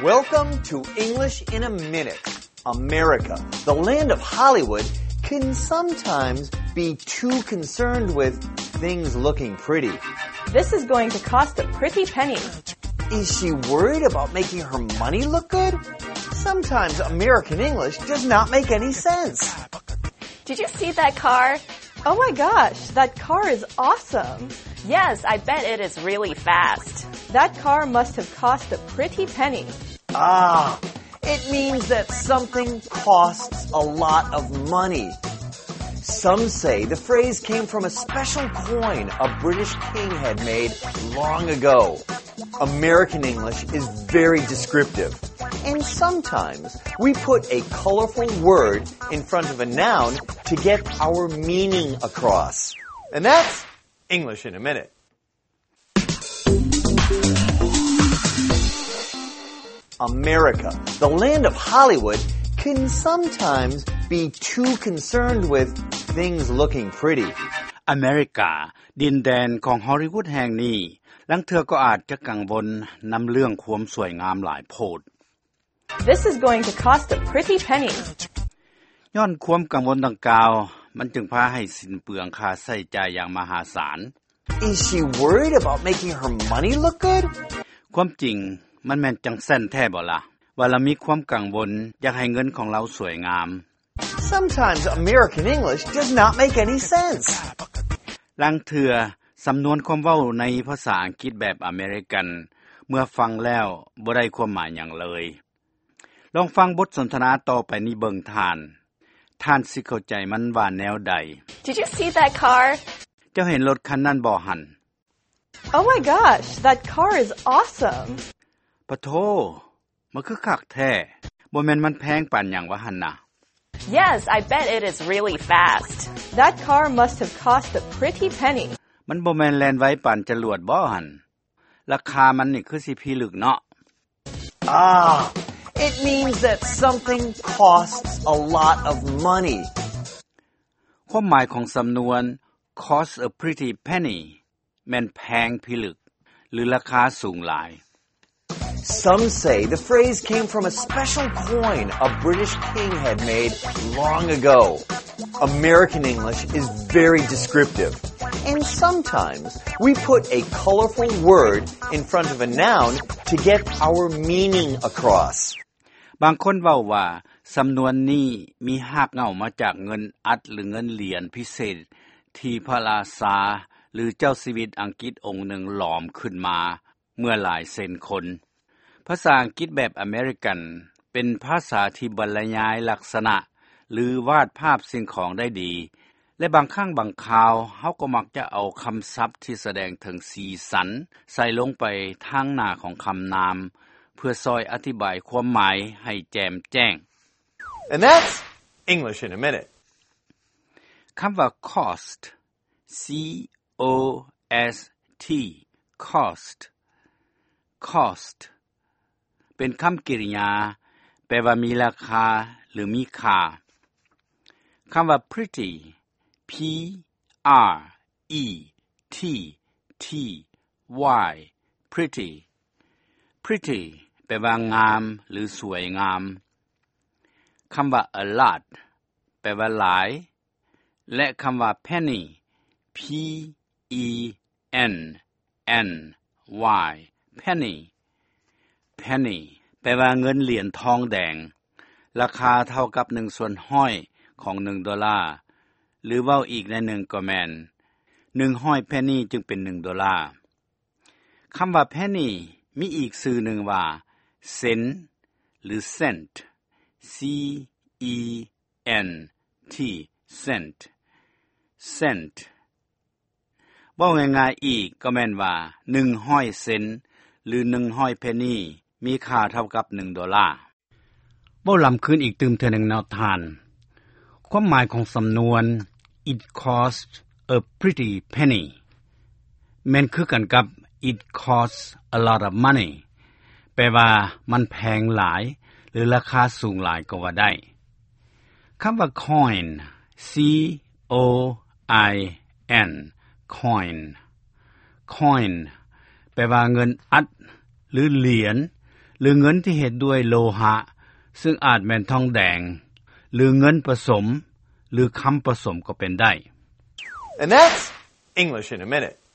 Welcome to English in a Minute. America, the land of Hollywood, can sometimes be too concerned with things looking pretty. This is going to cost a pretty penny. Is she worried about making her money look good? Sometimes American English does not make any sense. Did you see that car? Oh my gosh, that car is awesome. Yes, I bet it is really fast. That car must have cost a pretty penny. Ah, it means that something costs a lot of money. Some say the phrase came from a special coin a British king had made long ago. American English is very descriptive, and sometimes we put a colorful word in front of a noun to get our meaning across. And that's English in a Minute. America, the land of Hollywood, can sometimes be too concerned with things looking pretty. ອາເມລິກາ ດິນແດນຂອງຮໍລີວຸດແຫ່ງນີ້ ລາງເທື່ອກໍອາດຈະກັງວົນນຳເລື່ອງຄວາມສວຍງາມຫຼາຍໂພດ. This is going to cost a pretty penny. ຍ້ອນຄວາມກັງວົນດັ່ງກ່າວ ມັນຈຶ່ງພາໃຫ້ສິ້ນເປືອງຄ່າໃຊ້ຈ່າຍຢ່າງມະຫາສານ. Is she worried about making her money look good? ຄວາມຈິງ ມັນແມ່ນຈັ່ງຊັ້ນແທ້ບໍ່ລະ ວ່າລາວມີຄວາມກັງວົນຢາກໃຫ້ເງິນຂອງລາວສວຍງາມ. Sometimes American English does not make any sense. ລາງເທື່ອ ສຳນວນຄວາມເວົ້າໃນພາສາອັງກິດແບບອາເມລິກັນ ເມື່ອຟັງແລ້ວບໍ່ໄດ້ຄວາມໝາຍຫຍັງເລີຍ. ລອງຟັງບົດສົນທະນາຕໍ່ໄປນີ້ເບິ່ງທ່ານ. ທ່ານຊິເຂົ້າໃຈມັນວ່າແນວໃດ? Did you see that car? ເຈົ້າເຫັນລົດຄັນນັ້ນບໍ່ຫັ້ນ? Oh my gosh, that car is awesome. ປະໂທ ມັນຄືຄັກແທ້. ບໍ່ແມ່ນມັນແພງປານຫຍັງວະຫັ້ນນະ? Yes, I bet it is really fast. That car must have cost a pretty penny. ມັນບໍ່ແມ່ນແລ່ນໄວປານຈະຫຼວດບໍ່ຫັ້ນ? ລາຄາມັນນີ້ຄືຊິພິລຶກເນາະ. Ah, it means that something costs a lot of money. ຄວາມໝາຍຂອງສຳນວນ cost a pretty penny ແມ່ນແພງພິລຶກ ຫຼື ລາຄາສູງຫຼາຍ. Some say the phrase came from a special coin a British king had made long ago. American English is very descriptive, and sometimes we put a colorful word in front of a noun to get our meaning across. ບາງຄົນເວົ້າວ່າ ສຳນວນນີ້ມີຮາກເຫງົ້າມາຈາກເງິນອັດ ຫຼື ເງິນຫຼຽນພິເສດ ທີ່ພະລາຊາ ຫຼື ເຈົ້າຊີວິດອັງກິດອົງໜຶ່ງຫຼອມຂຶ້ນມາ ເມື່ອຫຼາຍເຊັນຄົນ. ພາສາອັງກິດແບບອາເມລິກັນ ເປັນພາສາທີ່ບັນລະຍາຍລັກສະນະ ຫຼື ວາດພາບສິ່ງຂອງໄດ້ດີ ແລະ ບາງຄັ້ງບາງຄາວ ເຮົາກໍມັກຈະເອົາຄຳສັບທີ່ສະແດງເຖິງສີສັນ ໃສ່ລົງໄປທາງໜ້າຂອງຄຳນາມ ເພື່ອຊ່ອຍອະທິບາຍຄວາມໝາຍໃຫ້ແຈ່ມແຈ້ງ. And that's English in a Minute. ຄຳວ່າ cost, C O S T, cost, cost ເປັນຄຳກິລິຍາ ແປວ່າມີລາຄາ ຫຼື ມີຄ່າ. ຄຳວ່າ pretty, P R E T T Y, pretty, pretty ແປວ່າງາມ ຫຼື ສວຍງາມ. ຄຳວ່າ a lot ແປວ່າຫຼາຍ ແລະ ຄຳວ່າ penny, P E N N Y, penny, penny ແປວ່າເງິນຫຼຽນທອງແດງ ລາຄາເທົ່າກັບໜຶ່ງສ່ວນຮ້ອຍຂອງໜຶ່ງໂດລາ ຫຼື ເວົ້າອີກໃນໜຶ່ງກໍແມ່ນ ໜຶ່ງຮ້ອຍ penny ຈຶ່ງເປັນໜຶ່ງໂດລາ. ຄຳວ່າ penny ມີອີກຊື່ໜຶ່ງວ່າ ເຊັນ ຫຼື cent, C E N T, cent, cent ເວົ້າງ່າຍໆອີກກໍແມ່ນວ່າ ໜຶ່ງຮ້ອຍເຊັນ ຫຼື ໜຶ່ງຮ້ອຍ penny ມີຄ່າເທົ່າກັບໜຶ່ງໂດລາ. ເວົ້າລຳຄືນອີກຕື່ມເທື່ອໜຶ່ງເນາະທ່ານ. ຄວາມໝາຍຂອງສຳນວນ It costs a pretty penny ແມ່ນຄືກັນກັບ It costs a lot of money ແປວ່າມັນແພງຫຼາຍ ຫຼື ລາຄາສູງຫຼາຍກໍວ່າໄດ້. ຄຳວ່າ coin, C O I N, coin, coin ແປວ່າເງິນອັດ ຫຼື ຫຼຽນ ຫຼືເງິນທີ່ເຮັດດ້ວຍໂລຫະ ຊຶ່ງອາດແມ່ນທອງແດງ ຫຼືເງິນປະສົມ ຫຼືຄຳປະສົມກໍເປັນໄດ້. And that's English in a minute.